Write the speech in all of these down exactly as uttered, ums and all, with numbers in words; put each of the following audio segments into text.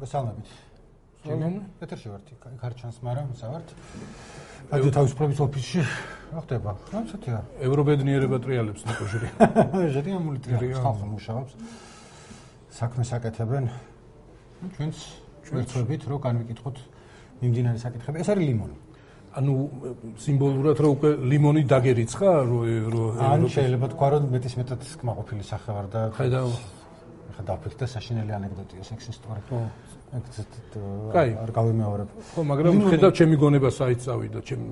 მოგესალმებით. ჩემი ეთერში ვართ, იქ არ ჩანს, მაგრამ სავართ. აი თავისუფლების ოფისში რა ხდება? რა ცოტია? ევრობედნიერება ტრიალებს ნიკოჟერი. ჟერია მულტრიალებს ხალხი მუშაობს. საქმეს აკეთებენ. ჩვენც ჩვენწვებით რო განვიკითხოთ მიმდინარე საკითხები. ეს არის ლიმონი. ანუ სიმბოლურად რო უკვე ლიმონი დაგერიცხა რო რო ან შეიძლება თქვა რომ მეტის მეტად კმაყოფილი სახე ვარ და ხედავ ხა დაფიქრდა საშინელი ანეკდოტია სექს ისტორია. ხო. კაი, არ გავიმეორებ. ხო, მაგრამ ხედავ ჩემი გონება საით წავიდა, ჩემი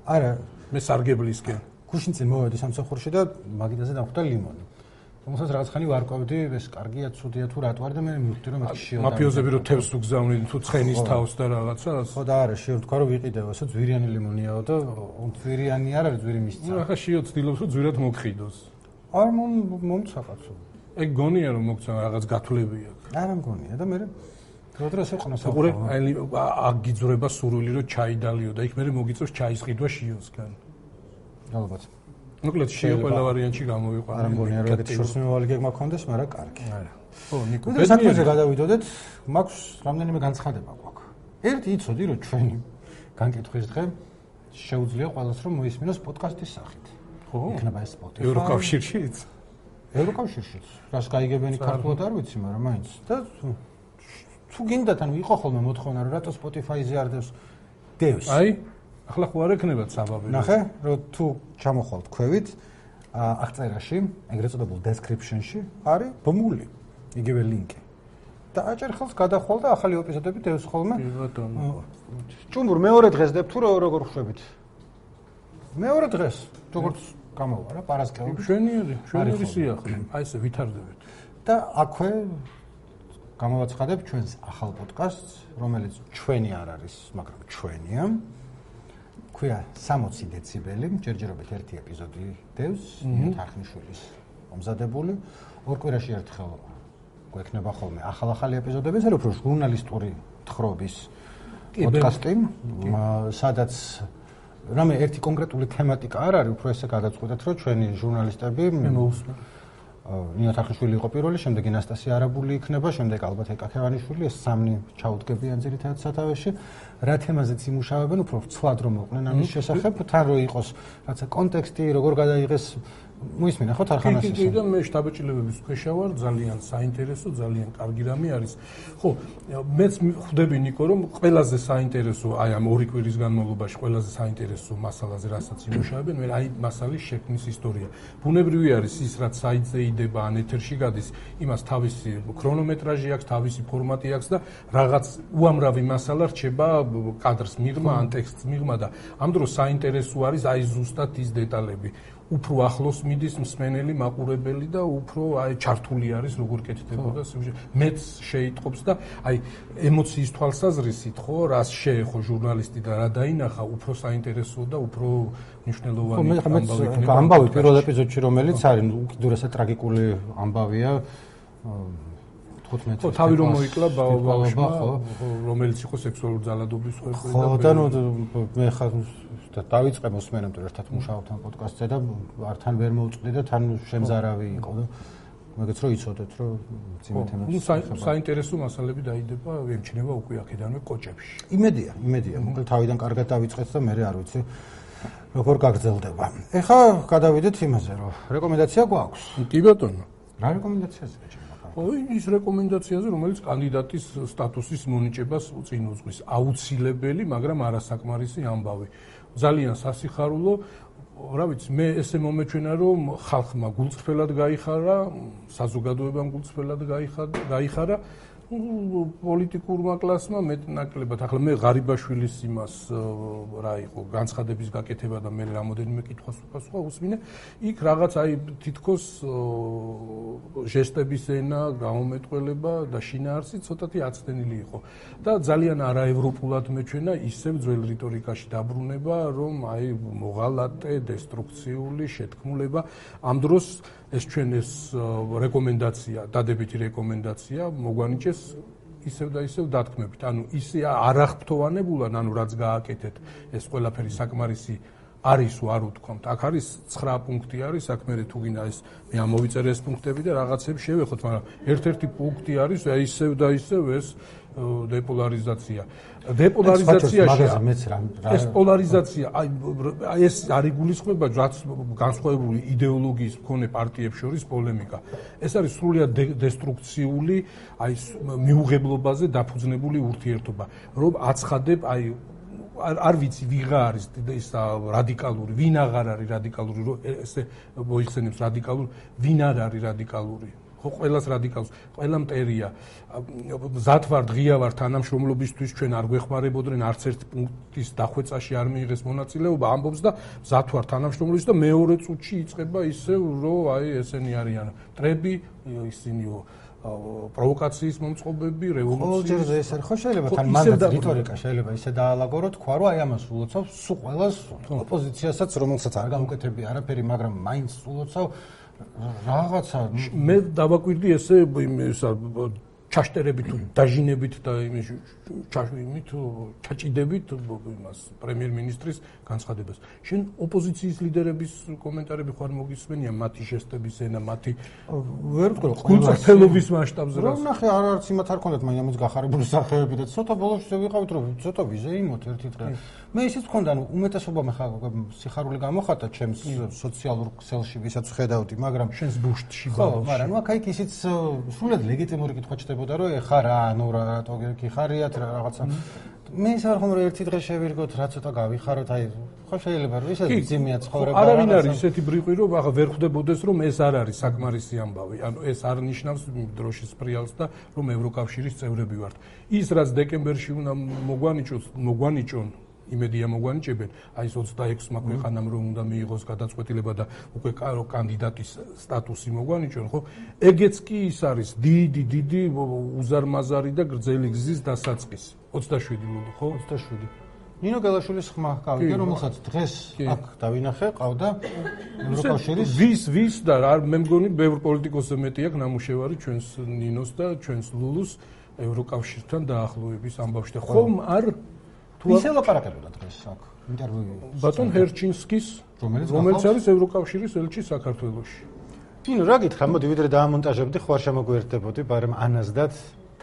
არა, მე სარგებლისკენ. გუშინ წინ მოვედი სამსახურში და მაგიდაზე დავხვდა ლიმონი. თუმცა რაღაც ხანი ვარკვევდი, ეს კარგია, ცუდია თუ რატო არის და მე მივხვდი რომ ეს შიო. მაფიოზები რო თევს უგზავნენ თუ ცხენის თავს და რაღაცას. ხო და არა, შიო თქვა რომ ვიყიდეო, ესო ძვირიანი ლიმონიაო და ძვირიანი არ არის, ძვირი მისცა. ნუ ახლა შიო ცდილობს რომ ძვირად მოგხიდოს. არ მომცა კაცო. ეგ გონია რომ მოგცა რაღაც გათვლები აქვს. არა მგონია და მე როდროს ეყნოს აყურე აი აგიძრება სურვილი რომ ჩაიდალიო და იქ მე მოგიწევს ჩაის ყიდვა შიოსგან. ალბათ. მოკლედ შიო ყველა ვარიანტში გამოვიყვანე. არა მგონია რომ ეგეთი შორს მიმავალი გეგმა გქონდეს, მაგრამ კარგი. არა. ხო, ნიკო. და საქმეზე გადავიდოდეთ, მაქვს რამდენიმე განცხადება გვაქვს. ერთი იცოდი რომ ჩვენი განკითხვის დღე შეუძლია ყველას რომ მოისმინოს პოდკასტის სახით. ხო? იქნება ეს Spotify. ევროკავშირშიც. ევროკავშირშიც. რას გაიგებენი ქართულად არ ვიცი, მაგრამ მაინც. და თუ გინდათ ანუ იყო ხოლმე მოთხოვნა რომ რატო Spotify-ზე არ დევს დევს. აი, ახლა ხო არ ექნებათ საბაბი. ნახე, რომ თუ ჩამოხვალთ ქვევით, აღწერაში, ეგრეთ წოდებულ description-ში არის ბმული, იგივე ლინკი. და აჭერ ხელს გადახვალ და ახალი ეპიზოდები დევს ხოლმე. კი ბატონო. ჭუმურ მეორე დღეს დებთ თუ როგორ ხვდებით? მეორე დღეს, როგორც გამოვა რა, პარასკევი. შვენიერი, შვენიერი სიახლე. აი ესე ვითარდებით. და აქვე გამოვაცხადებ ჩვენს ახალ პოდკასტს, რომელიც ჩვენი არ არის, მაგრამ ჩვენია. ქვია სამოცი დეციბელი, ჯერჯერობით ერთი ეპიზოდი დევს, თარხნიშვილის მომზადებული. ორ კვირაში ერთხელ გვექნება ხოლმე ახალ-ახალი ეპიზოდები, ეს არის უფრო ჟურნალისტური თხრობის პოდკასტი, სადაც რამე ერთი კონკრეტული თემატიკა არ არის, უფრო ესე გადაწყვეტეთ, რომ ჩვენი ჟურნალისტები მოусმენ. ნინო თარხნიშვილი იყო პირველი, შემდეგ ინასტასია არაბული იქნება, შემდეგ ალბათ ეკაქევანიშვილი, ეს სამნი ჩაუდგებიან ძირითადად სათავეში. რა თემაზეც იმუშავებენ, უფრო ცვლად რომ მოყვნენ ამის შესახებ, თან რო იყოს რაცა კონტექსტი, როგორ გადაიღეს, მოისმინა ხო თარხანას ეს. კი, და მე შტაბ-ჭილებების ქვეშა ვარ, ძალიან საინტერესო, ძალიან კარგი რამე არის. ხო, მეც ხვდები ნიკო, რომ ყველაზე საინტერესო, აი ამ ორი კვირის განმავლობაში ყველაზე საინტერესო მასალაზე, რასაც იმუშავებენ, მე აი მასალის შექმნის ისტორია. ბუნებრივი არის ის, რაც საიტზე იდება, ან ეთერში გადის, იმას თავისი ქრონომეტრაჟი აქვს, თავისი ფორმატი აქვს და რაღაც უამრავი მასალა რჩება კადრს მიღმა, ან ტექსტს მიღმა და ამ დროს საინტერესო არის აი ზუსტად ის დეტალები. უფრო ახლოს მიდის მსმენელი, მაყურებელი და უფრო აი ჩართული არის როგორ კეთდებოდა სიუჟეტი. მეც შეიტყობს და აი ემოციის თვალსაზრისით ხო, რას შეეხო ჟურნალისტი და რა დაინახა, უფრო საინტერესო და უფრო მნიშვნელოვანი ამბავი იქნება. ამბავი პირველ ეპიზოდში რომელიც არის უკიდურესად ტრაგიკული ამბავია. ხო, თავი რომ მოიკლა ბავშვმა, რომელიც იყო სექსუალური ძალადობის ხვეპრი და ხო, და ნუ მე ხა დავიწყე მოსმენამდე ერთად მუშაობთ ამ პოდკასტზე და ართან ვერ მოვწყდი და თან შემზარავი იყო და მაგაც რო იცოდეთ რომ ძიმე თემებს. ნუ საინტერესო მასალები დაიდება, ემჩნევა უკვე აქედანვე კოჭებში. იმედია, იმედია. მოკლედ თავიდან კარგად დავიწყეთ და მე არ ვიცი როგორ გაგრძელდება. ეხლა გადავიდეთ იმაზე, რომ რეკომენდაცია გვაქვს. კი ბატონო. რა რეკომენდაციაზე გაჭირდება? ой, ის რეკომენდაციაზე, რომელიც კანდიდატის სტატუსის მონიჭებას წინ უძღვის. აუცილებელი, მაგრამ არასაკმარისი ამბავი. ძალიან სასიხარულო, რა ვიცი, მე ესე მომეჩვენა, რომ ხალხმა გულწრფელად გაიხარა, საზოგადოებამ გულწრფელად გაიხარა, პოლიტიკურმა კლასმა მეტნაკლებად. ახლა მე ღარიბაშვილის იმას რა იყო, განცხადების გაკეთება და მე რამოდენიმე კითხვას უპასუხა უსმინე, იქ რაღაც აი თითქოს ჟესტების ენა, გამომეტყველება და შინაარსი ცოტათი აცდენილი იყო. და ძალიან არაევროპულად მეჩვენა ისევ ძველ რიტორიკაში დაბრუნება, რომ აი მოღალატე, დესტრუქციული შეთქმულება ამ დროს ეს ჩვენ ეს რეკომენდაცია, დადებითი რეკომენდაცია მოგვანიჭეს ისევ და ისევ დათქმებით. ანუ ისე არახფრთოვანებულად, ანუ რაც გააკეთეთ, ეს ყველაფერი საკმარისი არის თუ არ უთქვამთ. აქ არის ცხრა პუნქტი არის, აქ მე თუ გინდა ეს მე ამოვიწერე ეს პუნქტები და რაღაცებს შევეხოთ, მაგრამ ერთ-ერთი პუნქტი არის ისევ და ისევ ეს დეპოლარიზაცია. დეპოლარიზაციაში ეს პოლარიზაცია, აი ეს არ იგულისხმება რაც განსხვავებული იდეოლოგიის მქონე პარტიებს შორის პოლემიკა. ეს არის სრულიად დესტრუქციული, აი მიუღებლობაზე დაფუძნებული ურთიერთობა. რომ აცხადებ, აი არ ვიცი ვიღა არის ეს რადიკალური, ვინ აღარ არის რადიკალური, რომ ესე მოიხსენებს რადიკალური, ვინ არ არის რადიკალური. ხო, ყველას რადიკალს, ყველა მტერია. მზად ვარ, ღია ვარ თანამშრომლობისთვის, ჩვენ არ გვეხმარებოდნენ არც ერთ პუნქტის დახვეწაში არ მიიღეს მონაწილეობა, ამბობს და მზად ვარ თანამშრომლობისთვის და მეორე წუთში იწყება ისევ, რომ აი ესენი არიან მტრები, ისინიო პროვოკაციის მომწყობები, რევოლუციის. ხო, ჯერ ეს არის, ხო შეიძლება თან მანდაც რიტორიკა შეიძლება ისე დაალაგო, თქვა, რომ აი ამას ულოცავს სულ ყველას ოპოზიციასაც, რომელსაც არ გამოკეთებია არაფერი, მაგრამ მაინც ულოცავ რაღაცა. მე დავაკვირდი ესე ისა ჩაშტერებით თუ დაჟინებით და იმის ჩაშვიმით ჩაჭიდებით იმას პრემიერ-მინისტრის განცხადებას. შენ ოპოზიციის ლიდერების კომენტარები ხარ მოგისმენია მათი ჟესტების ენა, მათი ვერ ვთქვი რომ გულწრფელობის მასშტაბზე რა. ნახე, არ არც იმათ არ ქონდათ მაინც ამის გახარებული სახეები და ცოტა ბოლოში ვიყავით რომ ცოტა ვიზეიმოთ ერთი დღე. მე ისიც მქონდა, ანუ უმეტესობა მე ხა სიხარული გამოხატა ჩემს სოციალურ ქსელში, ვისაც ხედავდი, მაგრამ შენს ბუშტში ხო, მაგრამ აქ იქ ისიც სრულად ლეგიტიმური კითხვა ჩდებოდა, რომ ეხა რა, ანუ რატო გიხარიათ რა რაღაცა. მე ის არ ხომ რომ ერთი დღე შევირგოთ, რა ცოტა გავიხაროთ, აი ხო შეიძლება რომ ისე ძიმია ცხოვრება. არავინ არის ისეთი ბრიყვი, რომ ახლა ვერ ხვდებოდეს, რომ ეს არ არის საკმარისი ამბავი. ანუ ეს არ ნიშნავს დროშის პრიალს და რომ ევროკავშირის წევრები ვართ. ის რაც დეკემბერში უნდა მოგვანიჭოს, მოგვანიჭონ იმედია მოგვანიჭებენ, აი ეს ოცდაექვსმა ქვეყანამ რომ უნდა მიიღოს გადაწყვეტილება და უკვე კანდიდატის სტატუსი მოგვანიჭონ, ხო? ეგეც კი ის არის დიდი, დიდი უზარმაზარი და გრძელი გზის დასაწყისი. ოცდაშვიდი ლულო, ხო? ოცდაშვიდი. ნინო გელაშვილის ხმა გავიგე, რომელსაც დღეს აქ დავინახე, ყავდა ევროკავშირის ვის ვის და რა მე მგონი ბევრ პოლიტიკოსზე მეტი აქვს ნამუშევარი ჩვენს ნინოს და ჩვენს ლულუს ევროკავშირთან დაახლოების ამბავში და ხომ არ ვის ელაპარაკებოდა დღეს აქ ინტერვიუ ბატონ ჰერჩინსკის, რომელიც არის ევროკავშირის ელჩი საქართველოში. ნინო რა გითხრა, მოდი ვიდრე დაამონტაჟებდი, ხო არ შემოგვიერთდებოდი, მაგრამ ანაზდათ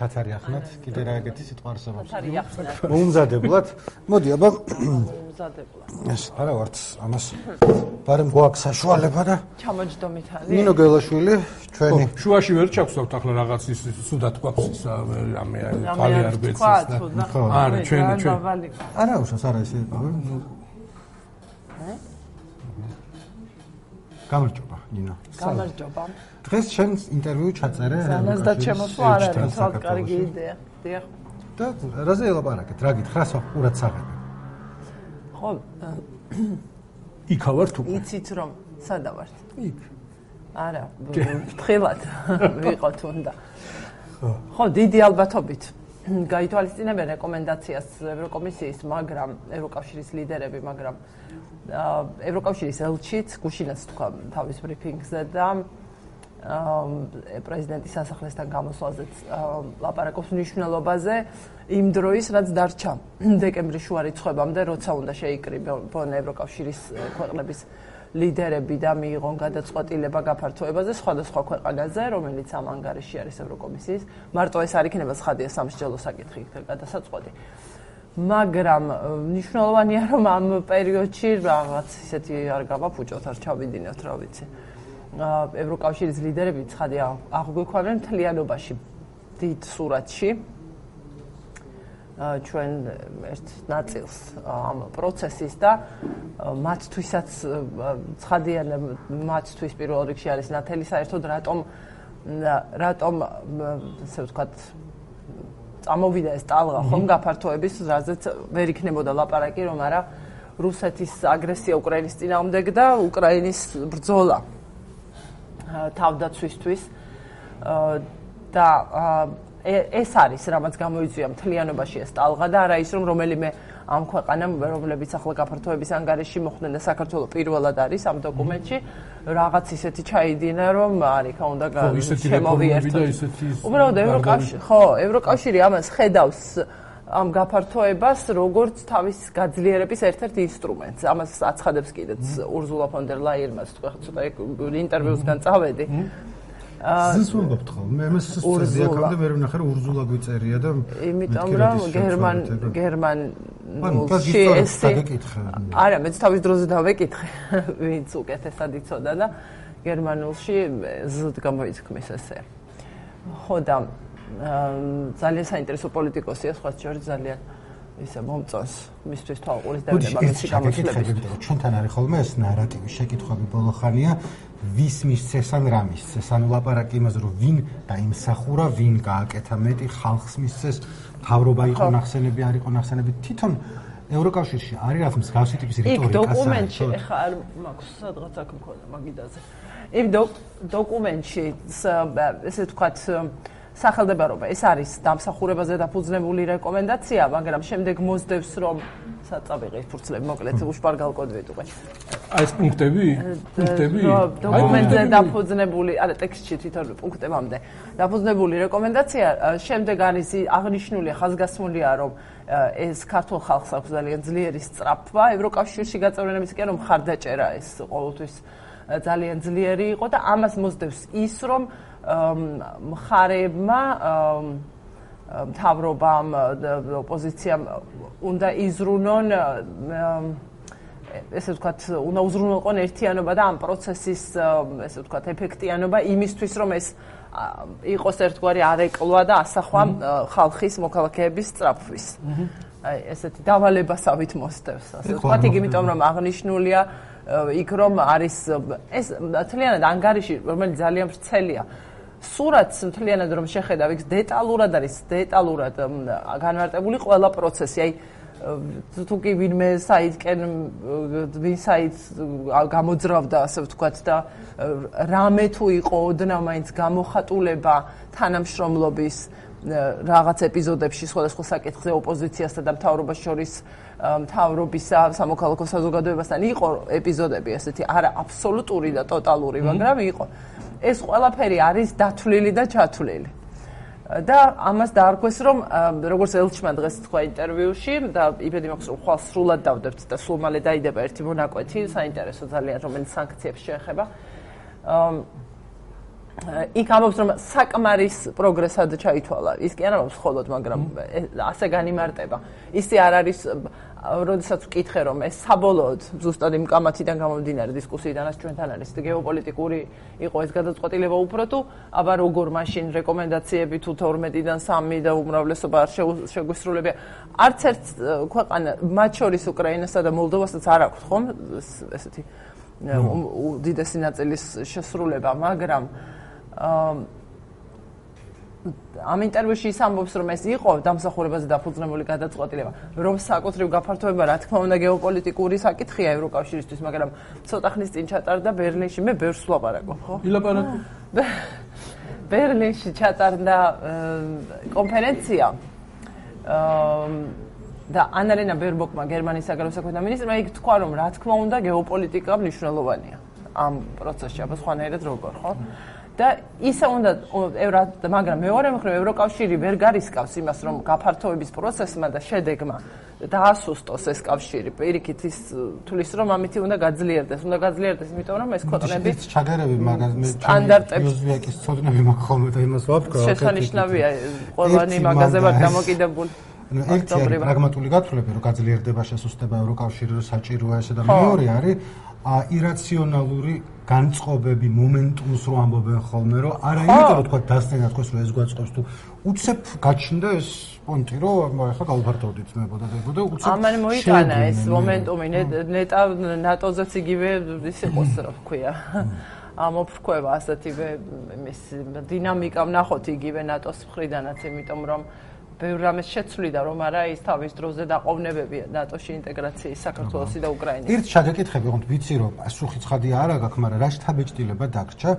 თათარი ახნათ, კიდე რა ეგეთი სიტყვა არსებობს. თათარი ახნათ. მოუმზადებლად. მოდი აბა მოუმზადებლად. ეს არა ვართ ამას. ბარემ გვაქვს საშუალება და ჩამოჯდომით არის. ნინო გელაშვილი, ჩვენი შუაში ვერ ჩაგვსავთ ახლა რაღაც ის სუდად გვაქვს ის რამე თვალი არ გვეცეს და არა ჩვენ ჩვენ არა უშავს არა ესე გამარჯობა ნინო გამარჯობა დღეს შენ ინტერვიუ ჩაწერე ანაზდათ შემოსვა არ არის თვალ კარგი იდეა დიახ და რაზე ელაპარაკეთ რა გითხრას უბრალოდ საღები ხო იქა ვარ თუ იცით რომ სადა ვართ იქ არა ფრთხილად ვიყოთ უნდა ხო დიდი ალბათობით გაითვალისწინებენ რეკომენდაციას ევროკომისიის მაგრამ ევროკავშირის ლიდერები მაგრამ ევროკავშირის ელჩიც გუშინაც თქვა თავის ბრიფინგზე და პრეზიდენტის სასახლესთან გამოსვლაზეც ლაპარაკობს მნიშვნელობაზე იმ დროის რაც დარჩა დეკემბრის შუა რიცხვებამდე როცა უნდა შეიკრიბონ ევროკავშირის ქვეყნების ლიდერები და მიიღონ გადაწყვეტილება გაფართოებაზე სხვადასხვა ქვეყანაზე, რომელიც ამ ანგარიში არის ევროკომისიის. მარტო ეს არ იქნება ცხადია სამსჯელო საკითხი გადასაწყვეტი. მაგრამ მნიშვნელოვანია რომ ამ პერიოდში რაღაც ისეთი არ გავაფუჭოთ, არ ჩავიდინოთ, რა ვიცი. ევროკავშირის ლიდერები ცხადია აღგვიქვამენ მთლიანობაში დიდ სურათში ჩვენ ერთ ნაწილს ამ პროცესის და მათთვისაც ცხადია მათთვის პირველ რიგში არის ნათელი საერთოდ რატომ რატომ ასე ვთქვათ წამოვიდა ეს ტალღა ხომ გაფართოების რაზეც ვერ იქნებოდა ლაპარაკი რომ არა რუსეთის აგრესია უკრაინის წინააღმდეგ და უკრაინის ბრძოლა თავდაცვისთვის და ეს არის რამაც გამოიწვია მთლიანობაში ეს ტალღა და არა ის რომ რომელიმე ამ ქვეყანამ რომლებიც ახლა გაფართოების ანგარიში მოხვდნენ და საქართველოს პირველად არის ამ დოკუმენტში რაღაც ისეთი ჩაიდინა რომ არიქა უნდა შემოვიერთოთ. უბრალოდ ევროკავშირი ხო ევროკავშირი ამას ხედავს ამ გაფართოებას როგორც თავის გაძლიერების ერთ-ერთ ინსტრუმენტს. ამას აცხადებს კიდეც ურზულა ფონ დერ ლაიერმა, ცოტა ინტერვიუსგან წავედი. ზის ვამბობთ ხოლმე, მე ამას ზიაკამდე მე ვნახე რომ ურზულა გვიწერია და იმიტომ რომ გერმან გერმანულში ესე არა, მეც თავის დროზე დავეკითხე, ვინც უკეთესად იცოდა და გერმანულში ზ გამოითქმის ესე. ხო და ძალიან საინტერესო პოლიტიკოსია, სხვა შორის ძალიან ისე მომწონს მისთვის თვალყურის დევნება მისი გამოცდილების. ჩვენთან არის ხოლმე ეს ნარატივი, შეკითხვები ბოლო ხანია, ვის მისცეს ან რა მისცეს, ანუ ლაპარაკი იმაზე, რომ ვინ დაიმსახურა, ვინ გააკეთა მეტი, ხალხს მისცეს, მთავრობა იყო ნახსენები, არ იყო ნახსენები, თვითონ ევროკავშირში არის რაღაც მსგავსი ტიპის რიტორიკა. იქ დოკუმენტში ეხა არ მაქვს სადღაც აქ მქონდა მაგიდაზე. იმ დოკუმენტში ესე ვთქვათ სახელდებარობა ეს არის დამსახურებაზე დაფუძნებული რეკომენდაცია, მაგრამ შემდეგ მოსდევს რომ საწავიღი ფურცლები მოკლედ უშპარგალკოდ ვიტყვე. აი ეს პუნქტები? პუნქტები? დოკუმენტზე დაფუძნებული, არა ტექსტში თვითონ პუნქტებამდე დაფუძნებული რეკომენდაცია, შემდეგ არის აღნიშნული, ხაზგასმულია რომ ეს ქართულ ხალხს აქვს ძალიან ძლიერი სწრაფვა ევროკავშირში გაწევრიანების კი რომ მხარდაჭერა ეს ყოველთვის ძალიან ძლიერი იყო და ამას მოსდევს ის რომ მხარეებმა მთავრობამ ოპოზიციამ უნდა იზრუნონ ესე ვთქვათ უნდა უზრუნველყონ ერთიანობა და ამ პროცესის ესე ვთქვათ ეფექტიანობა იმისთვის რომ ეს იყოს ერთგვარი არეკლვა და ასახვა ხალხის მოქალაქეების სწრაფვის. აი ესეთი დავალებასავით მოსდევს ასე ვთქვათ იგი იმიტომ რომ აღნიშნულია იქ რომ არის ეს თლიანად ანგარიში რომელიც ძალიან ვრცელია. სურათს მთლიანად რომ შეხედავ, იქ დეტალურად არის, დეტალურად განმარტებული ყველა პროცესი. აი თუ კი ვინმე საიტკენ ვინ საიტს გამოძრავდა, ასე ვთქვათ და რამე თუ იყო ოდნავ მაინც გამოხატულება თანამშრომლობის რაღაც ეპიზოდებში სხვადასხვა საკითხზე ოპოზიციასთან და მთავრობას შორის მთავრობისა სამოქალაქო საზოგადოებასთან იყო ეპიზოდები ესეთი არა აბსოლუტური და ტოტალური, მაგრამ იყო. ეს ყველაფერი არის დათვლილი და ჩათვლილი. და ამას დაარქვეს რომ როგორც ელჩმა დღეს თქვა ინტერვიუში და იმედი მაქვს რომ ხვალ სრულად დავდებთ და სულ მალე დაიდება ერთი მონაკვეთი, საინტერესო ძალიან რომელიც სანქციებს შეეხება. იქ ამბობს რომ საკმარის პროგრესად ჩაითვალა. ის კი არ ამბობს მხოლოდ, მაგრამ ასე განიმარტება. ისე არ არის როდესაც ვკითხე რომ ეს საბოლოოდ ზუსტად იმ კამათიდან გამომდინარე დისკუსიიდანაც ჩვენთან არის გეოპოლიტიკური იყო ეს გადაწყვეტილება უფრო თუ აბა როგორ მაშინ რეკომენდაციები თუ თორმეტიდან სამი და უმრავლესობა არ შეგვისრულებია არც ერთ ქვეყანა მათ შორის უკრაინასა და მოლდოვასაც არ აქვს ხომ ესეთი უდიდესი ნაწილის შესრულება მაგრამ ამ ინტერვიუში ის ამბობს რომ ეს იყო დამსახურებაზე დაფუძნებული გადაწყვეტილება რომ საკუთრივ გაფართოება რა თქმა უნდა გეოპოლიტიკური საკითხია ევროკავშირისთვის მაგრამ ცოტა ხნის წინ ჩატარდა ბერლინში მე ბევრს ვლაპარაკობ ხო ილაპარაკო ბერლინში ჩატარდა კონფერენცია და ანარენა ბერბოკმა გერმანიის საგარეო საქმეთა მინისტრმა იქ თქვა რომ რა თქმა უნდა გეოპოლიტიკა მნიშვნელოვანია ამ პროცესში აბა სხვანაირად როგორ ხო და ისა უნდა ევრა მაგრამ მეორე მხრივ ევროკავშირი ვერ გარისკავს იმას რომ გაფართოების პროცესმა და შედეგმა დაასუსტოს ეს კავშირი პირიქით ის თulis რომ ამით უნდა გაძლიერდეს უნდა გაძლიერდეს იმიტომ რომ ეს ქვეყნები ჩაგერები მაგას მე იუზვიაკის ცოდნები მაქვს ხოლმე და იმას ვაფქრო შესანიშნავია ყველანი მაგაზე ვარ დამოკიდებული ну ერთი არის პრაგმატული გათვლები რომ გაძლიერდება შესუსტება ევროკავშირი რომ საჭიროა ესე და მეორე არის ირაციონალური განწყობები მომენტუმს რო ამბობენ ხოლმე რომ არა იმიტომ რომ თქვა დასწრება თქოს რომ ეს გვაწყობს თუ უცებ გაჩნდა ეს პონტი რომ ახლა გავფართოვდით მებოდა და უცებ ამან მოიტანა ეს მომენტუმი ნეტა ნატოზეც იგივე ის იყოს რა ვქვია ამოფრქვევა ასეთივე იმის დინამიკა ვნახოთ იგივე ნატოს მხრიდანაც იმიტომ რომ ბევრ რამეს შეცვლიდა რომ არა ის თავის დროზე დაყოვნებები ნატოში ინტეგრაციის საქართველოსი და უკრაინის. ერთ შეგეკითხები, ხომ ვიცი რომ პასუხი ცხადია არა გაქვს, მაგრამ რა შთაბეჭდილება დაგრჩა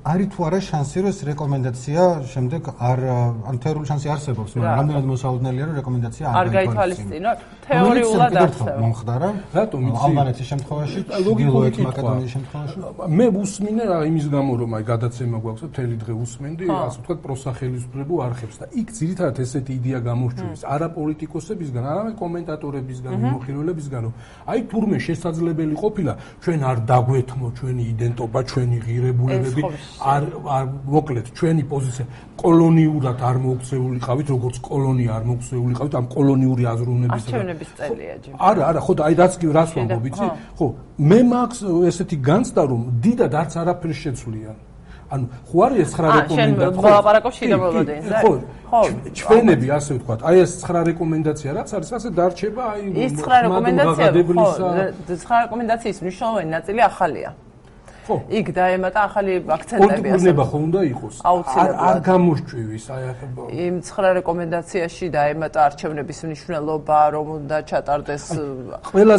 არის თუ არა შანსი რომ ეს რეკომენდაცია შემდეგ არ ან თეორიული შანსი არსებობს, მაგრამ რამდენად მოსაოდნელია რომ რეკომენდაცია არ გაითვალისწინო. თეორიულად არსებობს. მომხდარა. რატომ იცი? ალბანეთის შემთხვევაში, ჩრდილოეთ მაკედონიის შემთხვევაში. მე უსმინე რა იმის გამო რომ აი გადაცემა გვაქვს და მთელი დღე უსმენდი, ასე ვთქვათ, პროსახელისუფლებო არხებს და იქ ძირითადად ესეთი იდეა გამორჩევის, არა პოლიტიკოსებისგან, არამედ კომენტატორებისგან, მიმოხილველებისგან, რომ აი თურმე შესაძლებელი ყოფილა ჩვენ არ დაგვეთმო ჩვენი იდენტობა, ჩვენი ღირებულებები, არ მოკლედ ჩვენი პოზიცია კოლონიურად არ მოუქცეულიყავით, როგორც კოლონია არ მოუქცეულიყავით ამ კოლონიური აზროვნების არჩევნების წელია ჯერ. არა, არა, ხო და აი რაც კი რას ვამბობ, იცი? ხო, მე მაქვს ესეთი განცდა რომ დიდად არც არაფერს შეცვლიან. ანუ ხო არის ეს ცხრა რეკომენდაცია. შენ ვლაპარაკობ შიდა მოლოდინზე. ხო, ხო, ჩვენები ასე ვთქვათ, აი ეს ცხრა რეკომენდაცია რაც არის, ასე დარჩება აი ის ცხრა რეკომენდაცია, ხო, ცხრა რეკომენდაციის მნიშვნელოვანი ნაწილი ახალია. ხო. იქ დაემატა ახალი აქცენტები ასე. პოლიტიკურნება ხო უნდა იყოს? არ გამორჩევის აი ახლა. იმ ცხრა რეკომენდაციაში დაემატა არჩევნების მნიშვნელობა, რომ უნდა ჩატარდეს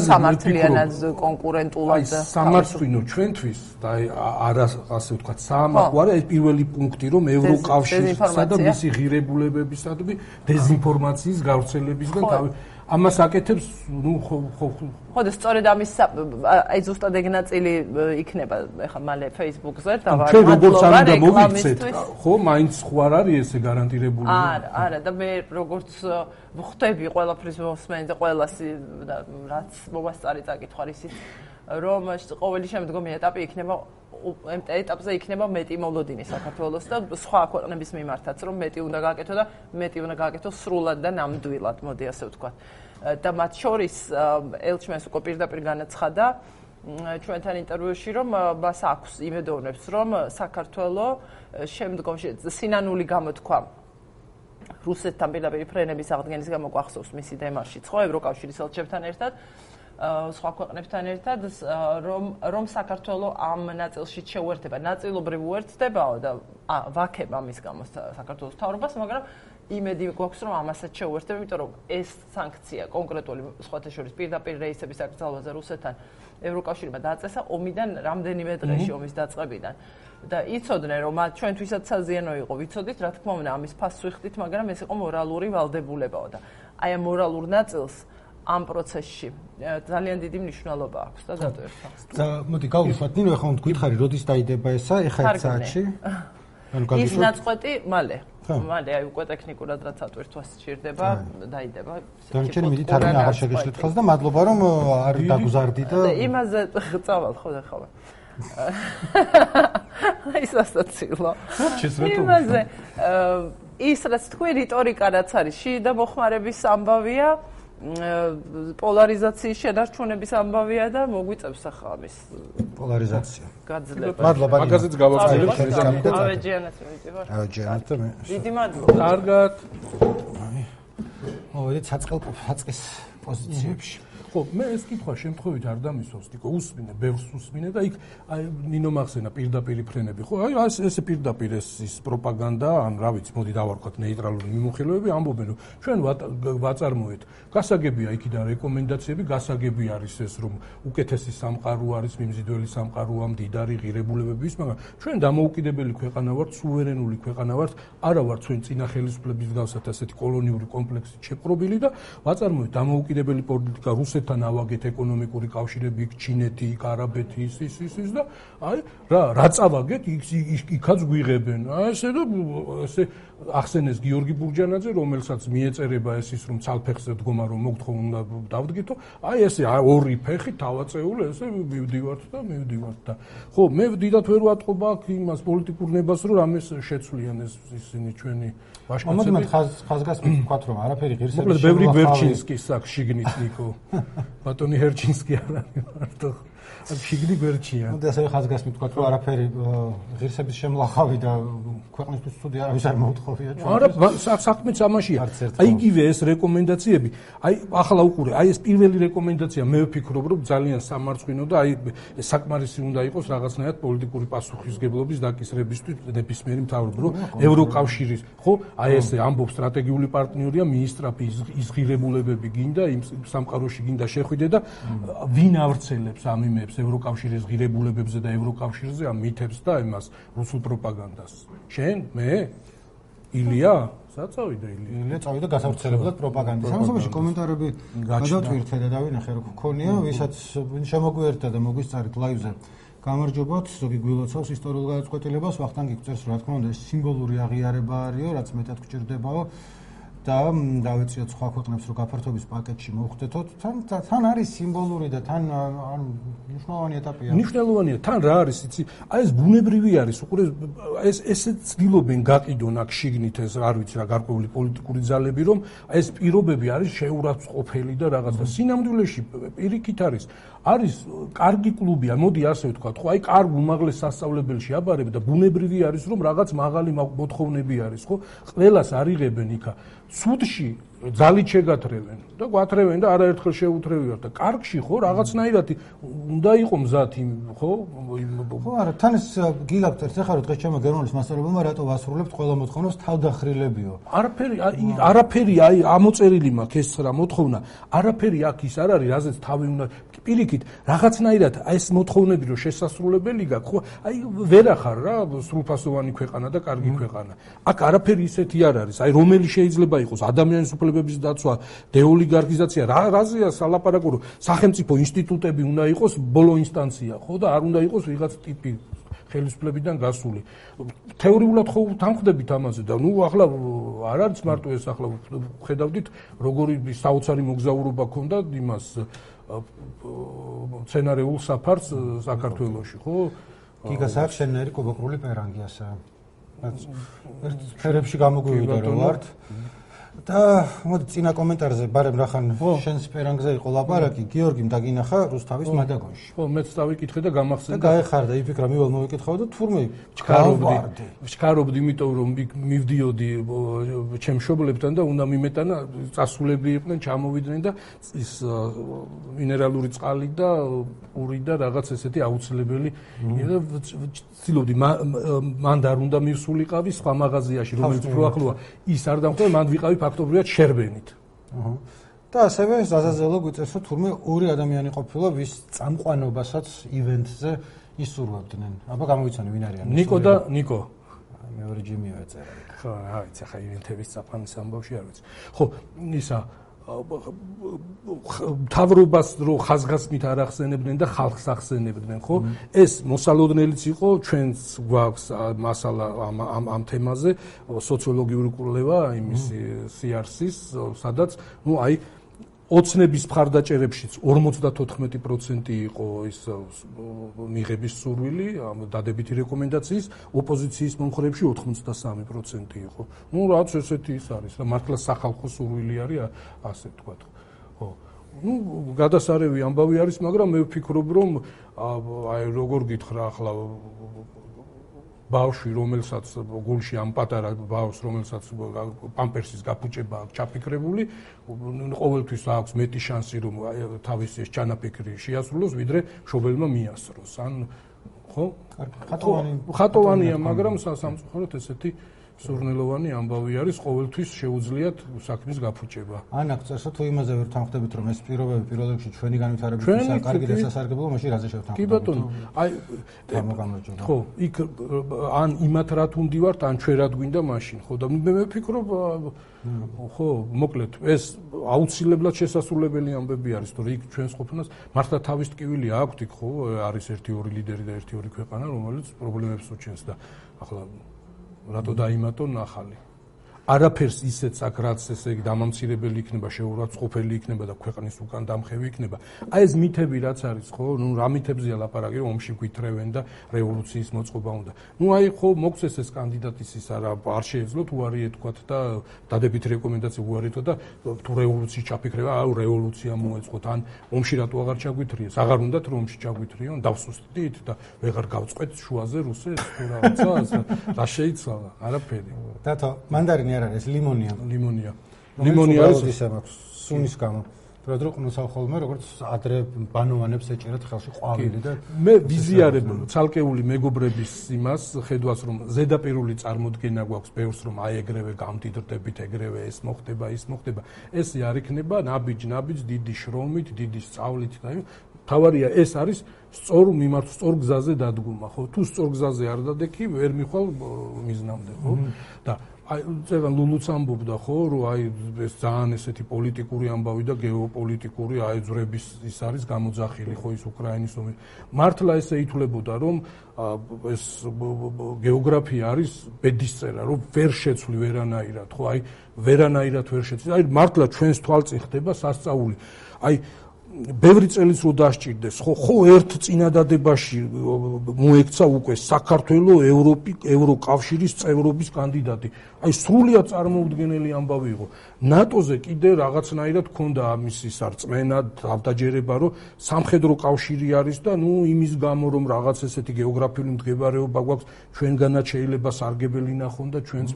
სამართლიანად, კონკურენტულად და სამართლინო ჩვენთვის და არა ასე ვთქვათ, საამაყო არა ეს პირველი პუნქტი, რომ ევროკავშირსა და მისი ღირებულებებისა და დეზინფორმაციის გავრცელებისგან თავი ამას აკეთებს, ну, ხო, ხო. ხო და სწორედ ამის აი ზუსტად ეგ ნაწილი იქნება ეხლა მალე Facebook-ზე და ჩვენ როგორც არ უნდა მოვიქცეთ, ხო, მაინც ხო არ არის ესე გარანტირებული. არა, არა და მე როგორც ვხვდები ყველაფრის მოსმენზე, ყველას რაც მომასწარი წაკითხარ ისიც რომ ყოველი შემდგომი ეტაპი იქნება ამ ეტაპზე იქნება მეტი მოლოდინი საქართველოს და სხვა ქვეყნების მიმართაც რომ მეტი უნდა გააკეთო და მეტი უნდა გააკეთო სრულად და ნამდვილად, მოდი ასე ვთქვათ. და მათ შორის ელჩმენს უკვე პირდაპირ განაცხადა ჩვენთან ინტერვიუში რომ მას აქვს იმედოვნებს რომ საქართველო შემდგომში სინანული გამოთქვა რუსეთთან პირდაპირ ფრენების აღდგენის გამო გვახსოვს მისი დემარშიც ხო ევროკავშირის ელჩებთან ერთად სხვა ქვეყნებთან ერთად რომ რომ საქართველო ამ ნაწილში შეუერთდება ნაწილობრივ უერთდებაო და ვაქებ ამის გამო საქართველოს მთავრობას მაგრამ იმედი გვაქვს რომ ამასაც შეუერთდება იმიტომ რომ ეს სანქცია კონკრეტული სხვათა შორის პირდაპირ რეისების აკრძალვაზე რუსეთთან ევროკავშირმა დააწესა ომიდან რამდენიმე დღეში ომის დაწყებიდან და იცოდნენ რომ ჩვენთვისაც საზიანო იყო ვიცოდით რა თქმა უნდა ამის ფასს ვიხდით მაგრამ ეს იყო მორალური ვალდებულებაო და აი ამ მორალურ ნაწილს ამ პროცესში ძალიან დიდი მნიშვნელობა აქვს და დადო ერთხელ. და მოდი გავუშვათ ნინო ახლა თქვითხარი როდის დაიდება ესა ეხა ერთ საათში? ანუ გაგიშვათ. ის ნაწყვეტი მალე. მალე აი უკვე ტექნიკურად რაც ატვირთვას სჭირდება დაიდება. დანარჩენი მიდით არ აღარ შეგეშლით ხელს და მადლობა რომ არ დაგუზარდი და იმაზე წავალ ხო და ხო. ის ასაცილო. იმაზე ის რაც თქვი რიტორიკა რაც არის შიდა მოხმარების ამბავია პოლარიზაციის შედარჩუნების ამბავია და მოგვიწევს ახლა ამის პოლარიზაცია. გაძლება. მადლობა. მაგაზეც გავაცხადებ შეზამით. ავეჯიანაც მივიდივარ. ავეჯიანაც და მე. დიდი მადლობა. კარგად. მოვიდეთ საწყელ საწყის პოზიციებში. ხო, მე ეს კითხვა შემთხვევით არ დამისვავს, თქო, უსმინე, ბევრს უსმინე და იქ აი ნინო მახსენა პირდაპირ ფრენები, ხო? აი ეს ეს პირდაპირ ეს ის პროპაგანდა, ან რა ვიცი, მოდი დავარქვათ ნეიტრალური მიმოხილვები, ამბობენ, რომ ჩვენ ვაწარმოეთ. გასაგებია იქიდან რეკომენდაციები, გასაგები არის ეს, რომ უკეთესი სამყარო არის, მიმზიდველი სამყაროა, მდიდარი ღირებულებების, მაგრამ ჩვენ დამოუკიდებელი ქვეყანა ვართ, სუვერენული ქვეყანა ვართ, არა ვართ ჩვენ წინა ხელისუფლების გავსათ ასეთი კოლონიური კომპლექსით შეპყრობილი და ვაწარმოეთ დამოუკიდებელი პოლიტიკა რუსეთთან ავაგეთ ეკონომიკური კავშირები, იქ ჩინეთი, იქ არაბეთი, ის ის ის ის და აი რა რა წავაგეთ, იქაც გვიღებენ. აი ესე და ესე ახსენეს გიორგი ბურჯანაძე, რომელსაც მიეწერება ეს ის რომ ცალფეხზე დგომა რომ მოგთხო უნდა დავდგითო. აი ესე ორი ფეხი თავაწეული ესე მივდივართ და მივდივართ და ხო, მე დიდათ ვერ ვატყობ აქ იმას პოლიტიკურ ნებას რომ რამეს შეცვლიან ეს ისინი ჩვენი ვაშკაცები. მოდი ხაზ ხაზგასმით ვთქვათ რომ არაფერი ღირსების მოკლედ ბევრი ვერჩინსკის აქვს შიგნით ნიკო. ბატონი ჰერჩინსკი არ არის მარტო. ან შიგნი გვერდჩია. მოდი ასე ხაზგასმით ვთქვათ რომ არაფერი ღირსების შემლახავი და ქვეყნისთვის ცუდი არავის არ მოუთხოვია ჩვენ. არა, საქმეც ამაშია. აი იგივე ეს რეკომენდაციები, აი ახლა უყურე, აი ეს პირველი რეკომენდაცია მე ვფიქრობ რომ ძალიან სამარცხვინო და აი საკმარისი უნდა იყოს რაღაცნაირად პოლიტიკური პასუხისგებლობის დაკისრებისთვის ნებისმიერი მთავრობა, რომ ევროკავშირის, ხო, აი ესე ამბობს სტრატეგიული პარტნიორია მინისტრაფი ის ღირებულებები გინდა იმ სამყაროში გინდა შეხვიდე და ვინ ავრცელებს ამ პრობლემებს ევროკავშირის ღირებულებებზე და ევროკავშირზე ამ მითებს და იმას რუსულ პროპაგანდას. შენ, მე, ილია, საწავიდა ილია. ილია წავიდა გასავრცელებლად პროპაგანდის. სამსახურში კომენტარები გადავტვირთე და დავინახე რა გქონია, ვისაც შემოგვიერთდა და მოგვისწარით ლაივზე. გამარჯობათ, ზოგი გვილოცავს ისტორიულ გადაწყვეტილებას, ვახტანგი გწერს, რა თქმა უნდა, ეს სიმბოლური აღიარება არისო, რაც მეტად გჭირდებაო. და დავეციოთ სხვა ქვეყნებს რომ გაფართოების პაკეტში მოვხდეთოთ თან თან არის სიმბოლური და თან ანუ მნიშვნელოვანი ეტაპია მნიშვნელოვანია თან რა არის იცი აი ეს ბუნებრივი არის უყურე ეს ესე ცდილობენ გაყიდონ აქ შიგნით ეს არ ვიცი რა გარკვეული პოლიტიკური ძალები რომ აი ეს პირობები არის შეურაცხყოფელი და რაღაცა სინამდვილეში პირიქით არის არის კარგი კლუბია მოდი ასე ვთქვა ხო აი კარგ უმაღლეს სასწავლებელში აბარებ და ბუნებრივი არის რომ რაღაც მაღალი მოთხოვნები არის ხო ყველას არიღებენ იქა სუდში ძალით შეგათრევენ და გვათრევენ და არაერთხელ შეუთრევიათ და კარგში ხო რაღაცნაირად უნდა იყო მზად იმ ხო ხო არა თან ეს გიგავთ ერთ ახლა დღეს ჩემო გერმანულის მასწავლებელმა რატო ვასრულებთ ყველა მოთხოვნას თავდახრილებიო არაფერი არაფერი აი ამოწერილი მაქვს ეს რა მოთხოვნა არაფერი აქ ის არ არის რაზეც თავი უნდა პირიქით რაღაცნაირად აი ეს მოთხოვნები რომ შესასრულებელი გაქვს ხო აი ვერ ახარ რა სრულფასოვანი ქვეყანა და კარგი ქვეყანა აქ არაფერი ისეთი არ არის აი რომელი შეიძლება იყოს ადამიანის უფლებების დაცვა დეოლიგარქიზაცია რა რაზეა სალაპარაკო რომ სახელმწიფო ინსტიტუტები უნდა იყოს ბოლო ინსტანცია ხო და არ უნდა იყოს ვიღაც ტიპი ხელისუფლებიდან გასული თეორიულად ხო თანხდებით ამაზე და ნუ ახლა არ არის მარტო ეს ახლა ხედავდით როგორი საოცარი მოგზაურობა ქონდა იმას სცენარეულ საფარს საქართველოში ხო გიგას აქვს შენერი კუბოკრული პერანგიასა ერთ ფერებში გამოგვივიდა რომ ვართ და მოდი წინა კომენტარზე ბარემ რახან შენს პერანგზე იყო ლაპარაკი გიორგიმ დაგინახა რუსთავის მადაგონში ხო მეც დავიკითხე და გამახსენდა და გაეხარდა იფიქრა მივალ მოვიკითხავ და თურმე ჩქარობდი ჩქარობდი იმიტომ რომ მივდიოდი ჩემ მშობლებთან და უნდა მიმეტანა წასულები იყვნენ ჩამოვიდნენ და ის მინერალური წყალი და პური და რაღაც ესეთი აუცილებელი და ცდილობდი მან არ უნდა მივსულიყავი სხვა მაღაზიაში რომელიც უფრო ახლოა ის არ დამხვდა მან ვიყავი ფაქტობრივად შერბენით. აჰა. და ასევე ზაზაზელო გვიწევს რომ თურმე ორი ადამიანი ყოფილა ვის წამყვანობასაც ივენთზე ისურვებდნენ. აბა გამოვიცანი ვინ არიან? ნიკო და ნიკო. აი მეორე ჯიმი ეწერა. ხო, რა ვიცი, ხა ივენთების წაფანის ამბავში არ ვიცი. ხო, ისა თავრობას რო ხაზგასმით არ ახსენებდნენ და ხალხს ახსენებდნენ, ხო? ეს მოსალოდნელიც იყო ჩვენს გვაქვს მასალა ამ ამ ამ თემაზე, სოციოლოგიური კვლევა იმის სიარსის, სადაც ნუ აი ოცნების მხარდაჭერებშიც ორმოცდათოთხმეტი პროცენტი იყო ის მიღების სურვილი, დადებითი რეკომენდაციის, ოპოზიციის მომხრეებში ოთხმოცდასამი პროცენტი იყო. ნუ რაც ესეთი ის არის და მართლა სახალხო სურვილი არის ასე ვთქვათ. ხო. ნუ გადასარევი ამბავი არის, მაგრამ მე ვფიქრობ, რომ აი როგორ გითხრა ახლა ბავშვი, რომელსაც გულში ამ პატარა ბავშვს, რომელსაც პამპერსის გაფუჭება აქვს ჩაფიქრებული, ყოველთვის აქვს მეტი შანსი, რომ თავისი ეს ჩანაფიქრი შეასრულოს, ვიდრე მშობელმა მიასროს. ან ხო? ხატოვანი ხატოვანია, მაგრამ სამწუხაროდ ესეთი სურნელოვანი ამბავი არის, ყოველთვის შეუძლიათ საქმის გაფუჭება. ან აქ წერს თუ იმაზე ვერ თანხდებით, რომ ეს პირობები პირველ რიგში ჩვენი განვითარებისთვის კარგი და სასარგებლოა, მაშინ რაზე შევთანხმდებით? კი ბატონო, აი გამოგამოჯობა. ხო, იქ ან იმათ რა თუნდი ვართ, ან ჩვენ რა გვინდა მაშინ, ხო და მე ვფიქრობ, ხო, მოკლედ, ეს აუცილებლად შესასრულებელი ამბები არის, თორე იქ ჩვენს ყოფნას მართლა თავის ტკივილი აქვთ, იქ ხო, არის ერთი ორი ლიდერი და ერთი ორი ქვეყანა, რომელიც პრობლემებს უჩენს და ახლა რატო დაიმატონ ახალი. არაფერს ისეც აქ რაც ესე იგი დამამცირებელი იქნება, შეურაცხყოფელი იქნება და ქვეყნის უკან დამხევი იქნება. აი ეს მითები რაც არის, ხო, ნუ რა მითებზია ლაპარაკი, რომ ომში გვითრევენ და რევოლუციის მოწყობა უნდა. ნუ აი ხო მოგცეს ეს კანდიდატის ის არა არ შეეძლოთ უარი ეთქვათ და დადებითი რეკომენდაცია უარი ეთქვათ და თუ რევოლუციის ჩაფიქრება, აუ რევოლუცია მოეწყოთ, ან ომში რატო აღარ ჩაგვითრიეს? აღარ უნდათ რომ ომში ჩაგვითრიონ, დავსუსტდით და ვეღარ გავწყვეთ შუაზე რუსეთს თუ რაღაცას, რა შეიცვალა? არაფერი. დათო, მანდარინი არ არის, ლიმონია. ლიმონია. ლიმონია არის ისა მაქვს სუნის გამო. თორედ რომ ყნოსავ ხოლმე როგორც ადრე ბანოვანებს ეჭერათ ხელში ყვავილი და მე ვიზიარებ ცალკეული მეგობრების იმას, ხედვას რომ ზედაპირული წარმოდგენა გვაქვს ბევრს რომ აი ეგრევე გამდიდრდებით, ეგრევე ეს მოხდება, ის მოხდება. ეს არ იქნება ნაბიჯ-ნაბიჯ დიდი შრომით, დიდი სწავლით და თავარია ეს არის სწორ მიმართ სწორ გზაზე დადგომა, ხო? თუ სწორ გზაზე არ დადექი, ვერ მიხვალ მიზნამდე, ხო? და აი ზეგან ლულუც ამბობდა, ხო, რომ აი ეს ძალიან ესეთი პოლიტიკური ამბავი და გეოპოლიტიკური აიძვრების ის არის გამოძახილი, ხო, ის უკრაინის ომი. მართლა ესე ითვლებოდა, რომ ეს გეოგრაფია არის ბედისწერა, რომ ვერ შეცვლი ვერანაირად, ხო, აი ვერანაირად ვერ შეცვლი. აი მართლა ჩვენს თვალწინ ხდება სასწაული. აი ბევრი წელიც რო დასჭირდეს, ხო, ხო ერთ წინადადებაში მოექცა უკვე საქართველოს ევროპი ევროკავშირის წევრობის კანდიდატი. აი სრულიად წარმოუდგენელი ამბავი იყო. ნატოზე კიდე რაღაცნაირად ჰქონდა ამის ის არწმენა, თავდაჯერება, რომ სამხედრო კავშირი არის და ნუ იმის გამო რომ რაღაც ესეთი გეოგრაფიული მდგომარეობა გვაქვს, ჩვენგანაც შეიძლება სარგებელი ნახონ და ჩვენც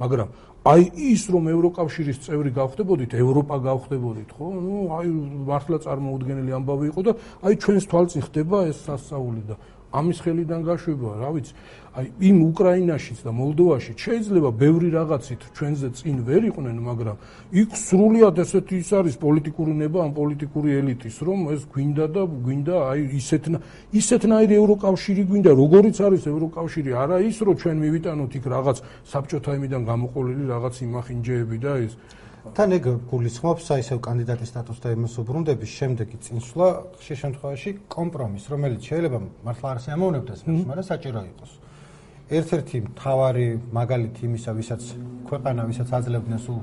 მაგრამ აი ის რომ ევროკავშირის წევრი გავხდებოდით, ევროპა გავხდებოდით, ხო? ნუ აი მართლა წარმოუდგენელი ამბავი იყო და აი ჩვენს თვალწინ ხდება ეს სასწაული და ამის ხელიდან გაშვება, რა ვიცი. აი იმ უკრაინაშიც და მოლდოვაშიც შეიძლება ბევრი რაღაცით ჩვენზე წინ ვერ იყვნენ, მაგრამ იქ სრულიად ესეთი ის არის პოლიტიკური ნება, ამ პოლიტიკური ელიტის, რომ ეს გვინდა და გვინდა აი ისეთნა ისეთნაირი ევროკავშირი გვინდა, როგორიც არის ევროკავშირი, არა ის რომ ჩვენ მივიტანოთ იქ რაღაც საბჭოთა იმიდან გამოყოლილი რაღაც იმახინჯეები და ეს თან ეგ გულისხმობს აი ესევ კანდიდატის სტატუსს და იმას უბრუნდების შემდეგი წინსვლა ხშირ შემთხვევაში კომპრომის, რომელიც შეიძლება მართლა არ შეამოვნებდეს, მაგრამ საჭირო იყოს. ერთ-ერთი მთავარი მაგალითი იმისა, ვისაც ქვეყანა, ვისაც აძლევდნენ სულ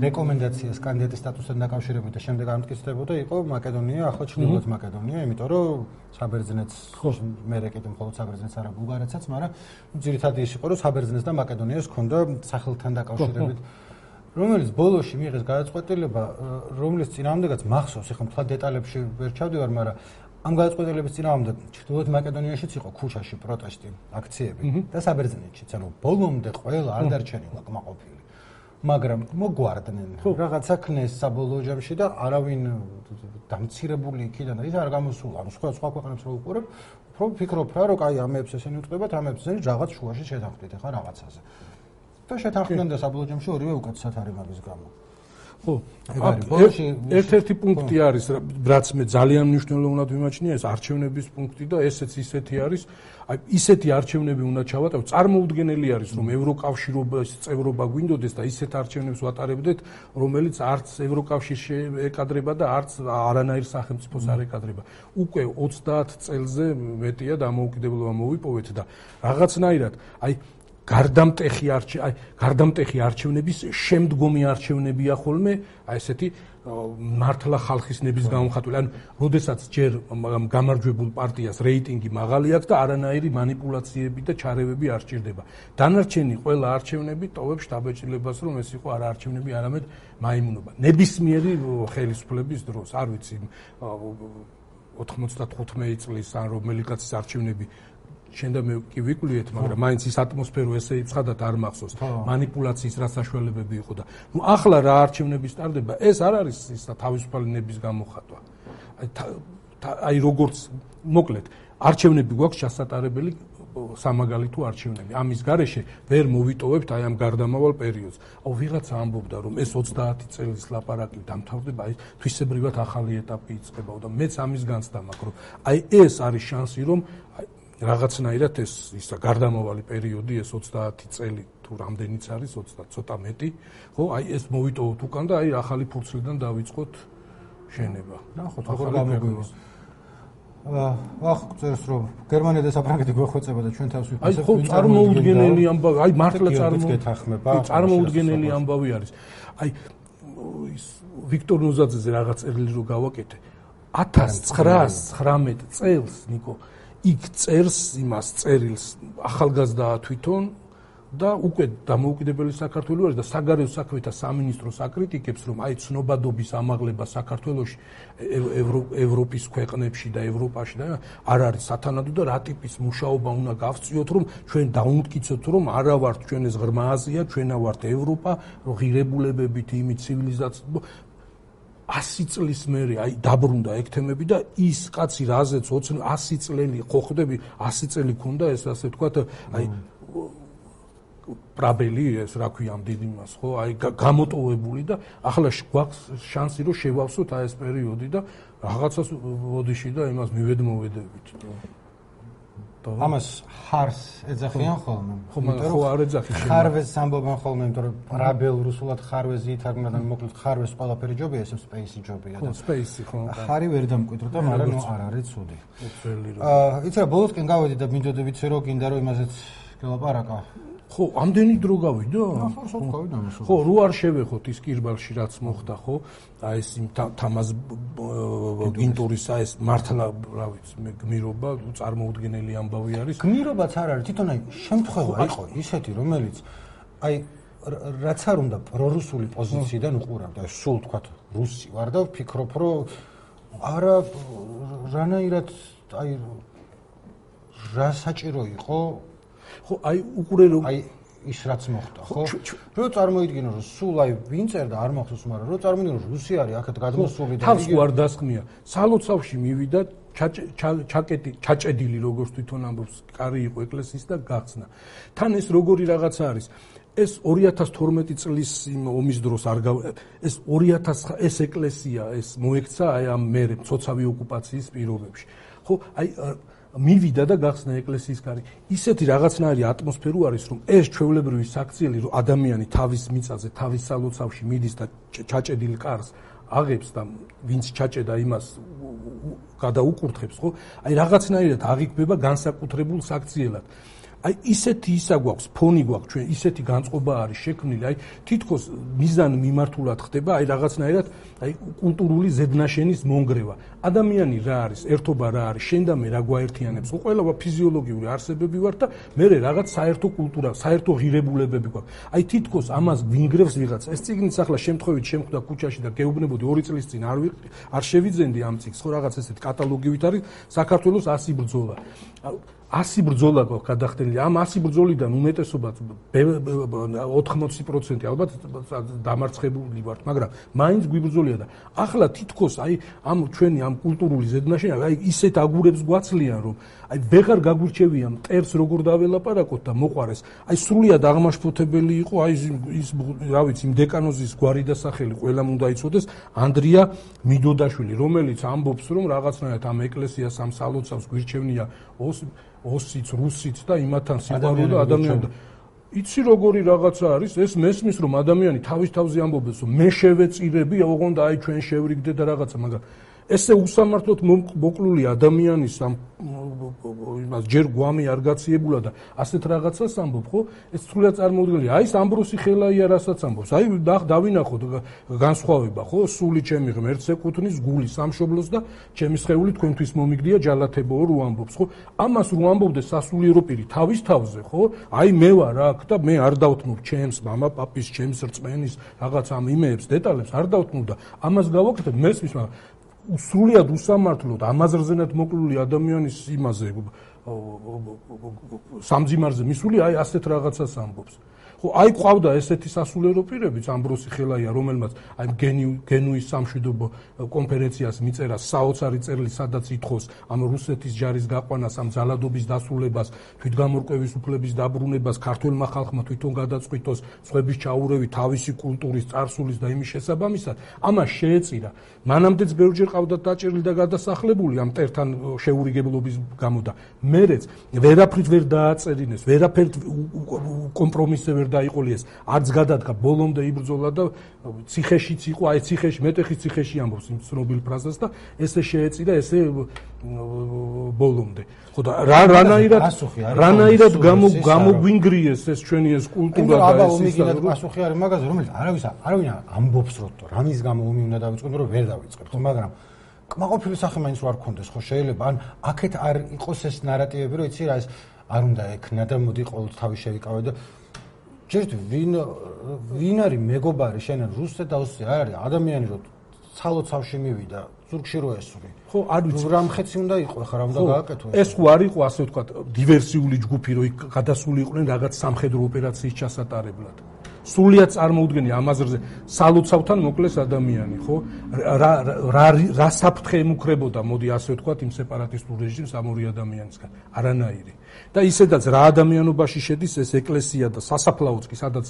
რეკომენდაციას კანდიდატის სტატუსთან დაკავშირებით და შემდეგ არ მტკიცდებოდა, იყო მაკედონია, ახლა ჩრდილოეთ მაკედონია, იმიტომ რომ საბერძნეთს მერე კიდე მხოლოდ საბერძნეთს არა ბულგარეთსაც, მაგრამ ძირითადად ის იყო, რომ საბერძნეთს და მაკედონიას ჰქონდა სახელთან დაკავშირებით რომელიც ბოლოში მიიღეს გადაწყვეტილება, რომლის წინააღმდეგაც მახსოვს, ეხლა თქვა დეტალებში ვერ ჩავდივარ, მაგრამ ამ გადაწყვეტილების წინააღმდეგ ჩრდილოეთ მაკედონიაშიც იყო ქუჩაში პროტესტი, აქციები და საბერძნეთშიც, ანუ ბოლომდე ყველა არ დარჩენილა კმაყოფილი. მაგრამ მოგვარდნენ, რაღაცა ქნეს საბოლოო ჯამში და არავინ დამცირებული იქიდან ის არ გამოსულა. ანუ სხვა სხვა ქვეყნებს რო უყურებ, უფრო ვფიქრობ რა, რომ აი ამებს ესენი უწყდებათ, ამებს ესენი რაღაც შუაში შეთანხმდით ახლა რაღაცაზე. და შეთანხმდნენ და საბოლოო ჯამში ორივე უკეთესად არის მაგის გამო. ხო, ერთ-ერთი პუნქტი არის, რაც მე ძალიან მნიშვნელოვნად ვიმაჩნია, ეს არჩევნების პუნქტი და ესეც ისეთი არის, აი ისეთი არჩევნები უნდა ჩავატაროთ, წარმოუდგენელი არის, რომ ევროკავშირის წევრობა გვინდოდეს და ისეთ არჩევნებს ვატარებდეთ, რომელიც არც ევროკავშირს ეკადრება და არც არანაირ სახელმწიფოს არ ეკადრება. უკვე ოცდაათ წელზე მეტია დამოუკიდებლობა მოვიპოვეთ და რაღაცნაირად, აი გარდამტეხი არჩე აი გარდამტეხი არჩევნების შემდგომი არჩევნებია ხოლმე აი ესეთი მართლა ხალხის ნების გამომხატველი. ანუ როდესაც ჯერ გამარჯვებულ პარტიას რეიტინგი მაღალი აქვს და არანაირი манипуляციები და ჩარევები არ სჭირდება. დანარჩენი ყველა არჩევნები ტოვებს შტაბ-ეჭილებას, რომ ეს იყო არა არჩევნები, არამედ მაიმუნობა. ნებისმიერი ხელისუფლების დროს, არ ვიცი ოთხმოცდათხუთმეტი წლის ან რომელი კაცის არჩევნები შენ და მე კი ვიკვლიეთ, მაგრამ მაინც ის ატმოსფერო ესე იცხადათ არ მახსოვს. манипуляციის რა საშუალებები იყო და ნუ ახლა რა არჩევნები სტარდება, ეს არ არის ის თავისუფალი ნების გამოხატვა. აი აი როგორც მოკლედ, არჩევნები გვაქვს ჩასატარებელი სამაგალითო არჩევნები. ამის გარეშე ვერ მოვიტოვებთ აი ამ გარდამავალ პერიოდს. აუ ვიღაცა ამბობდა, რომ ეს ოცდაათი წლის ლაპარაკი დამთავრდება, აი თვისებრივად ახალი ეტაპი იწყება და მეც ამის განცდა მაქვს, რომ აი ეს არის შანსი, რომ რაღაცნაირად ეს ისა გარდამავალი პერიოდი ეს ოცდაათი წელი თუ რამდენიც არის ოცდა ცოტა მეტი, ხო, აი ეს მოვიტოვოთ უკან და აი ახალი ფურცლიდან დავიწყოთ შენება. ნახოთ, როგორ გამოგვივა. აა, ახ წერს რომ გერმანია და საფრანგეთი გვეხვეწება და ჩვენ თავს ვიფასებთ. აი ხო, წარმოუდგენელი ამბავი, აი მართლა წარმოუდგენელი ამბავი არის. აი ის ვიქტორ ნოზაძეზე რაღაც წერილი რო გავაკეთე. ათას ცხრაას ცხრამეტ წელს, ნიკო იქ წერს იმას წერილს ახალგაზრდაა თვითონ და უკვე დამოუკიდებელი საქართველოს არის და საგარეო საქმეთა სამინისტროს აკრიტიკებს, რომ აი ცნობადობის ამაღლება საქართველოში ევროპის ქვეყნებში და ევროპაში და არ არის სათანადო და რა ტიპის მუშაობა უნდა გავწიოთ, რომ ჩვენ დაუნტკიცოთ, რომ არა ვართ ჩვენ ეს ღრმა აზია, ჩვენა ვართ ევროპა, ღირებულებებით იმით ცივილიზაციით ასი წლის მერე აი დაბრუნდა ეგ თემები და ის კაცი რაზეც ასი წელი ხო ხდები, ასი წელი ქონდა ეს ასე ვთქვათ, აი პრაბელი ეს რა ქვია ამ დიდ იმას ხო აი გამოტოვებული და ახლა გვაქვს შანსი რომ შევავსოთ აი ეს პერიოდი და რაღაცას ოდიში და იმას მივედმოვედებით ამას ხარს ეძახიან ხოლმე ხო მაგრამ ხო არ ეძახი ხარვეზს ამბობენ ხოლმე იმიტომ რომ პრაბელ რუსულად ხარვეზი ითარგმნა და მოკლედ ხარვეზს ყველაფერი ჯობია ეს სპეისი ჯობია და სპეისი ხო ხარი ვერ დამკვიდრდა მაგრამ ნუ არ არის ცუდი აა იცი რა ბოლოსკენ გავედი და მინდოდა ვიცი რომ გინდა რომ იმაზეც გელაპარაკა ხო, ამდენი დრო გავიდა? ხო, ხო, გავიდა ამას. ხო, რო არ შევეხოთ ის კირბალში რაც მოხდა, ხო? აი ეს თამაზ გინტურის აი ეს მართლა, რა ვიცი, მე გმირობა წარმოუდგენელი ამბავი არის. გმირობაც არ არის, თვითონ აი შემთხვევა იყო ისეთი, რომელიც აი რაც არ უნდა პრორუსული პოზიციიდან უყურავდა, სულ თქვათ რუსი ვარ და ვფიქრობ, რომ არა რანაირად აი რა საჭირო იყო ხო აი უყურე რომ აი ის რაც მოხდა ხო რო წარმოიდგინო რომ სულ აი ვინ წერდა არ მახსოვს მაგრამ რო წარმოიდგინო რომ რუსი არის აქეთ გადმოსული და თავს არ დასხმია სალოცავში მივიდა ჩაკეტი ჩაჭედილი როგორც თვითონ ამბობს კარი იყო ეკლესიის და გახსნა თან ეს როგორი რაღაცა არის ეს ორი ათას თორმეტი წლის იმ ომის დროს არ ეს ორი ათას ეს ეკლესია ეს მოექცა აი ამ მერე მცოცავი ოკუპაციის პირობებში ხო აი მივიდა და გახსნა ეკლესიის კარი. ისეთი რაღაცნაირი ატმოსფერო არის, რომ ეს ჩვეულებრივი საქციელი, რომ ადამიანი თავის მიწაზე, თავის სალოცავში მიდის და ჩაჭედილ კარს აღებს და ვინც ჩაჭედა იმას გადაუკურთხებს, ხო? აი რაღაცნაირად აღიქმება განსაკუთრებულ საქციელად. აი ისეთი ისა გვაქვს, ფონი გვაქვს ჩვენ, ისეთი განწყობა არის შექმნილი, აი თითქოს მიზან მიმართულად ხდება, აი რაღაცნაირად, აი კულტურული ზედნაშენის მონგრევა. ადამიანი რა არის, ერთობა რა არის, შენ და მე რა გვაერთიანებს. ყველა ფიზიოლოგიური არსებები ვართ და მე რაღაც საერთო კულტურა, საერთო ღირებულებები გვაქვს. აი თითქოს ამას ვინგრევს ვიღაც. ეს წიგნიც ახლა შემთხვევით შემხვდა ქუჩაში და გეუბნებოდი ორი წლის წინ არ არ შევიძენდი ამ წიგნს, ხო რაღაც ესეთ კატალოგივით არის საქართველოს ასი ბრძოლა. ასი ბრძოლა გვაქვს გადახდენილი. ამ ასი ბრძოლიდან უმეტესობაც ოთხმოცი პროცენტი ალბათ დამარცხებული ვართ, მაგრამ მაინც გვიბრძოლია და ახლა თითქოს აი ამ ჩვენი ამ კულტურული ზედნაშენი აი ისეთ აგურებს გვაცლიან, რომ აი ვეღარ გაგვირჩევია მტერს როგორ დაველაპარაკოთ და მოყარეს. აი სრულიად აღმაშფოთებელი იყო აი ის რა ვიცი იმ დეკანოზის გვარი და სახელი ყველამ უნდა იცოდეს ანდრია მიდოდაშვილი, რომელიც ამბობს, რომ რაღაცნაირად ამ ეკლესიას ამ სალოცავს გვირჩევნია ოსიც, რუსიც და იმათან სიყვარული და ადამიანი. იცი როგორი რაღაცა არის, ეს მესმის რომ ადამიანი თავის თავზე ამბობს, რომ მე შევეწირები, ოღონდ აი ჩვენ შევრიგდე და რაღაცა, მაგრამ ესე უსამართლოდ მოკლული ადამიანის ამ იმას ჯერ გვამი არ გაციებულა და ასეთ რაღაცას ამბობ, ხო? ეს სრულიად წარმოუდგენელია. აი ეს ამბროსი ხელაია რასაც ამბობს. აი დავინახოთ განსხვავება, ხო? სული ჩემი ღმერთს ეკუთვნის, გული სამშობლოს და ჩემი სხეული თქვენთვის მომიგდია ჯალათებოო რო ამბობს, ხო? ამას რო ამბობდეს სასულიერო პირი თავის თავზე, ხო? აი მე ვარ აქ და მე არ დავთმობ ჩემს მამა პაპის, ჩემს რწმენის რაღაც ამ იმეებს, დეტალებს არ დავთმობ და ამას გავაკეთებ მესმის, მაგრამ სრულიად უსამართლოდ ამაზრზენად მოკლული ადამიანის იმაზე სამძიმარზე მისული აი ასეთ რაღაცას ამბობს. ხო, აი ყავდა ესეთი სასულიერო პირებიც ამბროსი ხელაია, რომელმაც აი გენუის სამშვიდობო კონფერენციას მიწერა საოცარი წერილი, სადაც ითხოვს ამ რუსეთის ჯარის გაყვანას, ამ ძალადობის დასრულებას, თვითგამორკვევის უფლების დაბრუნებას, ქართველმა ხალხმა თვითონ გადაწყვიტოს სხვების ჩაურევი თავისი კულტურის, წარსულის და იმის შესაბამისად, ამას შეეწირა. მანამდეც ბევრჯერ ყავდა დაჭერილი და გადასახლებული ამ მტერთან შეურიგებლობის გამო და მერეც ვერაფრით ვერ დააწერინეს, ვერაფერთ კომპრომისზე ვერ დაიყოლიეს, არც გადადგა, ბოლომდე იბრძოლა და ციხეშიც იყო, აი ციხეში, მეტეხის ციხეში ამბობს იმ ცნობილ ფრაზას და ესე შეეწირა, ესე ბოლომდე. ხო და რა რანაირად რანაირად გამოგვინგრიეს ეს ჩვენი ეს კულტურა და ეს ისინი პასუხი არის მაგაზე, რომელიც არავის არავინ ამბობს რომ რამის გამო ომი უნდა დავიწყოთ, რომ ვერ დავიწყებთ, მაგრამ კმაყოფილი სახე მაინც არ გქონდეს, ხო შეიძლება ან აქეთ არ იყოს ეს ნარატივები, რომ იცი რა ეს არ უნდა ექნა და მოდი ყოველთვის თავი შევიკავე და ჯერთ ვინ ვინ არის მეგობარი შენ რუსზე და ოსზე არის ადამიანი რომ სალოცავში მივიდა ზურგში რო ესური ხო არ ვიცი რა მხეცი უნდა იყო ხა რა უნდა გააკეთო ეს ხო არ იყო ასე ვთქვათ დივერსიული ჯგუფი რომ გადასული იყვნენ რაღაც სამხედრო ოპერაციის ჩასატარებლად სრულიად წარმოუდგენია ამ აზრზე სალოცავთან მოკლეს ადამიანი, ხო? რა რა რა საფრთხე ემუქრებოდა, მოდი ასე ვთქვათ, იმ სეპარატისტულ რეჟიმს ამ ორი ადამიანისგან. არანაირი. და ისედაც რა ადამიანობაში შედის ეს ეკლესია და სასაფლაოც კი სადაც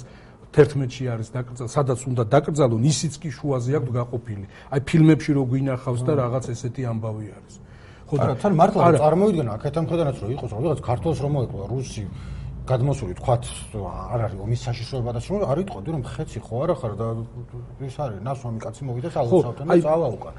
თერთმეტში არის დაკრძალული, სადაც უნდა დაკრძალონ, ისიც კი შუაზე აქვს გაყოფილი. აი ფილმებში რო გვინახავს და რაღაც ესეთი ამბავი არის. ხო და თან მართლა წარმოიდგენა აქეთან ხედანაც რომ იყოს რაღაც ქართულს რომ მოეკლა რუსი გადმოსული თქვათ არ არის ომის საშიშროება და შემო არ იტყოდი რომ ხეცი ხო არა ხარ და ის არის ნასვამი კაცი მოვიდა სალოცავთან და წავა უკან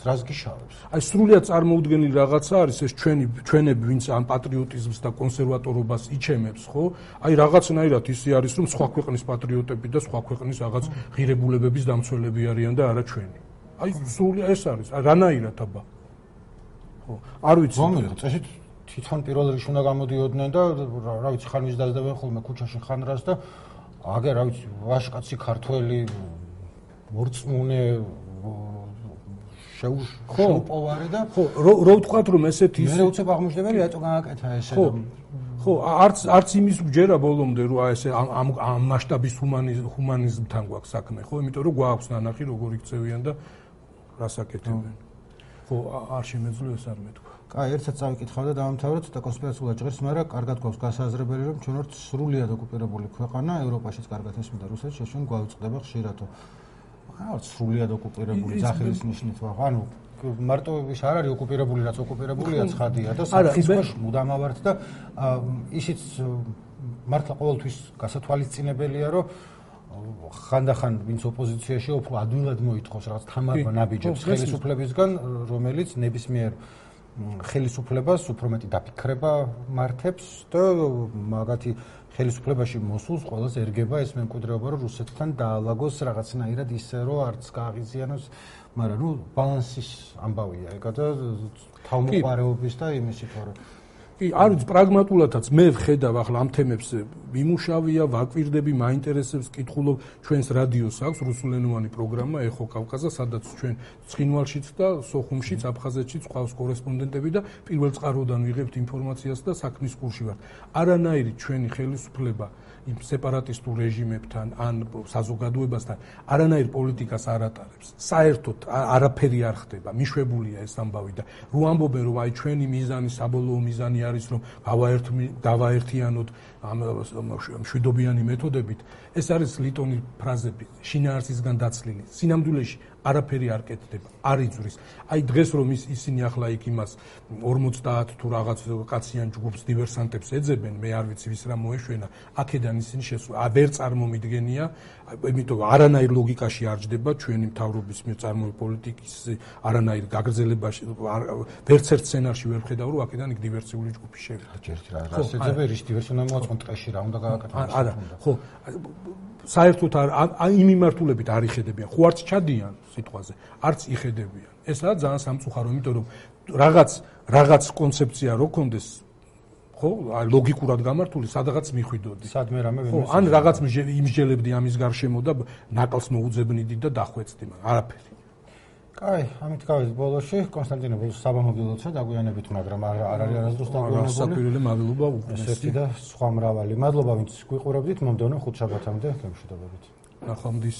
რას გიშავებს აი სრულიად წარმოუდგენელი რაღაცა არის ეს ჩვენი ჩვენები ვინც ამ პატრიოტიზმს და კონსერვატორობას იჩემებს ხო აი რაღაცნაირად ისე არის რომ სხვა ქვეყნის პატრიოტები და სხვა ქვეყნის რაღაც ღირებულებების დამცველები არიან და არა ჩვენი აი სრულიად ეს არის რანაირად აბა ხო არ ვიცი რომელი წესით თვითონ პირველ რიგში უნდა გამოდიოდნენ და რა ვიცი ხან ვის დაძდებენ ხოლმე ქუჩაში ხან რას და აგერ რა ვიცი ვაშკაცი ქართველი მორწმუნე შეუპოვარი და ხო რო ვთქვათ რომ ესეთი მე უცებ აღმოჩნდებელი რატო გააკეთა ესე ხო ხო არც არც იმის გჯერა ბოლომდე რომ აი ესე ამ ამ მასშტაბის ჰუმანიზმთან გვაქვს საქმე ხო იმიტომ რომ გვაქვს ნანახი როგორ იქცევიან და რას აკეთებენ ხო არ შემეძლო ეს არ მეთქვა აი ერთად წავიკითხავ და დავამთავროთ და კონსპირაციულად ჭირს, მაგრამ კარგად გვაქვს გასაზრებელი, რომ ჩვენ ვართ სრულიად ოკუპირებული ქვეყანა, ევროპაშიც კარგად ესმოდა რუსეთს, შეშენ გვაუწყდება ხშირათო. აა სრულიად ოკუპირებული ძახილის ნიშნით ვარ. ანუ მარტო ის არ არის ოკუპირებული, რაც ოკუპირებულია ცხადია და საფრთხის ქვეშ მუდამ ავართ და ისიც მართლა ყოველთვის გასათვალისწინებელია, რომ ხანდახან ვინც ოპოზიციაში უფრო ადვილად მოითხოვს რაღაც თამარ ნაბიჯებს ხელისუფლებისგან, რომელიც ნებისმიერ ხელისუფლებას უფრო მეტი დაფიქრება მართებს და მაგათი ხელისუფლებაში მოსულს ყველას ერგება ეს მემკვიდრეობა რომ რუსეთთან დაალაგოს რაღაცნაირად ისე რომ არც გააღიზიანოს მაგრამ ნუ ბალანსის ამბავია ეგა და თავმოყარეობის და იმისი თორე კი არ ვიცი პრაგმატულადაც მე ვხედავ ახლა ამ თემებს მიმუშავია ვაკვირდები მაინტერესებს კითხულობ ჩვენს რადიოს აქვს რუსულენოვანი პროგრამა ეხო კავკაზა სადაც ჩვენ ცხინვალშიც და სოხუმშიც აფხაზეთშიც ყავს კორესპონდენტები და პირველ წყაროდან ვიღებთ ინფორმაციას და საქმის კურსში ვართ არანაირი ჩვენი ხელისუფლება იმ სეპარატისტულ რეჟიმებთან ან საზოგადოებასთან არანაირ პოლიტიკას არ ატარებს საერთოდ არაფერი არ ხდება მიშვებულია ეს ამბავი და რო ამბობენ რომ აი ჩვენი მიზანი საბოლოო მიზანი არის რომ გავაერთიანოთ ამ მშვიდობიანი მეთოდებით ეს არის ლიტონი ფრაზები შინაარსისგან დაცლილი სინამდვილეში არაფერი არ კეთდება არ იწვრის აი დღეს რომ ისინი ახლა იქ იმას ორმოცდაათ თუ რაღაც კაციან ჯგუფს დივერსანტებს ეძებენ მე არ ვიცი ვის რა მოეშვენა აქედან ისინი შესვლა ვერ წარმომიდგენია იმიტომ არანაირ ლოგიკაში არ ჯდება ჩვენი მთავრობის მეწარმოებული პოლიტიკის არანაირ გაგრძელებაში ვერც ერთ სცენარში ვერ ვხედავ რომ აქედან იქ დივერსიული ჯგუფი შევიდა ჯერჯერ რა ეძებენ რის დივერსია მოაწყონ ტყეში რა უნდა გააკეთოს არა ხო საერთოდ არ იმ მიმართულებით არ იხედებიან ხო არც ჩადიან სიტყვაზე არც იხედებიან ესაა ძალიან სამწუხარო იმიტომ რომ რაღაც რაღაც კონცეფცია რო კონდეს ხო ლოგიკურად გამართული სადღაც მიხვიდოდი სადმე რამე ხო ან რაღაც იმსჯელებდი ამის გარშემო და ნაკლს მოუძებნიდი და დახვეწდი მაგრამ არაფერი კაი ამით გავიდით ბოლოში კონსტანტინე ბოლოს საბამობილოცა დაგვიანებით მაგრამ არ არის არასდროს დაგვიანებული სასაპირელი მადლობა უკრესი და სხვა მრავალი მადლობა ვინც გვიყურებდით მომდევნო ხუთშაბათამდე გემშვიდობებით ნახვამდის